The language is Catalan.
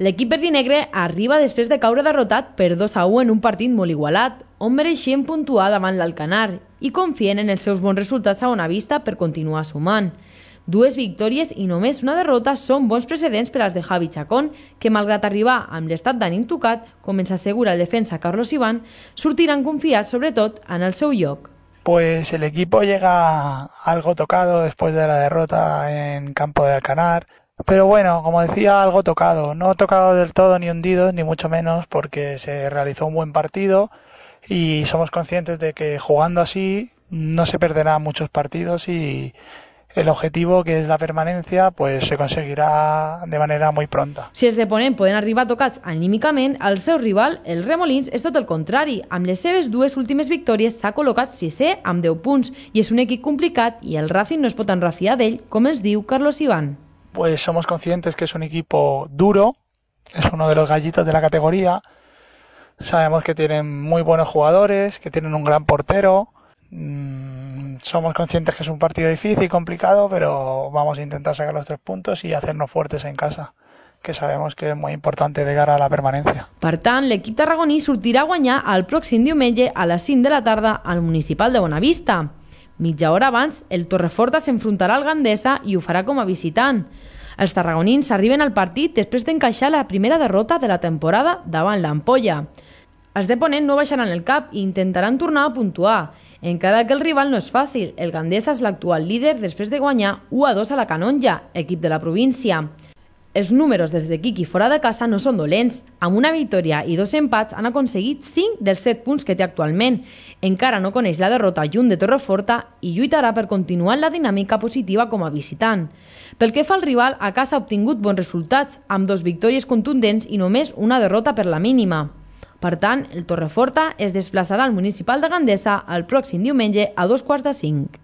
L'equip verdinegre arriba després de caure derrotat per 2-1 en un partit molt igualat, on mereixien puntuar davant l'Alcanar i confien en els seus bons resultats a Bonavista per continuar sumant. 2 victòries i només una derrota són bons precedents per als de Javi Chacón, que malgrat arribar amb l'estat d'ànim tocat, com ens assegura el defensa Carlos Iván, sortiran confiats sobretot en el seu lloc. Pues el equipo llega algo tocado después de la derrota en campo de Alcanar. Pero bueno, como decía, algo tocado. No tocado del todo ni hundido, ni mucho menos, porque se realizó un buen partido y somos conscientes de que jugando así no se perderán muchos partidos y el objetivo, que és la permanencia, pues se conseguirá de manera muy pronta. Si els de Ponent poden arribar tocats anímicament, el seu rival, el Remolins, és tot el contrari. Amb les seves 2 últimes victòries s'ha col·locat 6è amb 10 punts i és un equip complicat i el Racing no es pot enrafiar d'ell, com ens diu Carlos Iván. Pues somos conscientes que es un equipo duro, es uno de los gallitos de la categoría. Sabemos que tienen muy buenos jugadores, que tienen un gran portero. Somos conscientes que es un partido difícil y complicado, pero vamos a intentar sacar los 3 puntos y hacernos fuertes en casa, que sabemos que és molt important de cara a la permanència. Per tant, l'equip tarragoní sortirà a guanyar el pròxim diumenge a les 5 de la tarda al Municipal de Bonavista. Mitja hora abans, el Torreforta s'enfrontarà al Gandesa i ho farà com a visitant. Els tarragonins arriben al partit després d'encaixar la primera derrota de la temporada davant l'Ampolla. Els de Ponent no baixaran el cap i intentaran tornar a puntuar, encara que el rival no és fàcil. El Gandesa és l'actual líder després de guanyar 1-2 a la Canonja, equip de la província. Els números des de Quiqui fora de casa no són dolents. Amb una victòria i 2 empats han aconseguit 5 dels 7 punts que té actualment. Encara no coneix la derrota lluny de Torreforta i lluitarà per continuar la dinàmica positiva com a visitant. Pel que fa al rival, a casa ha obtingut bons resultats, amb 2 victòries contundents i només una derrota per la mínima. Per tant, el Torreforta es desplaçarà al Municipal de Gandesa el pròxim diumenge a 4:45.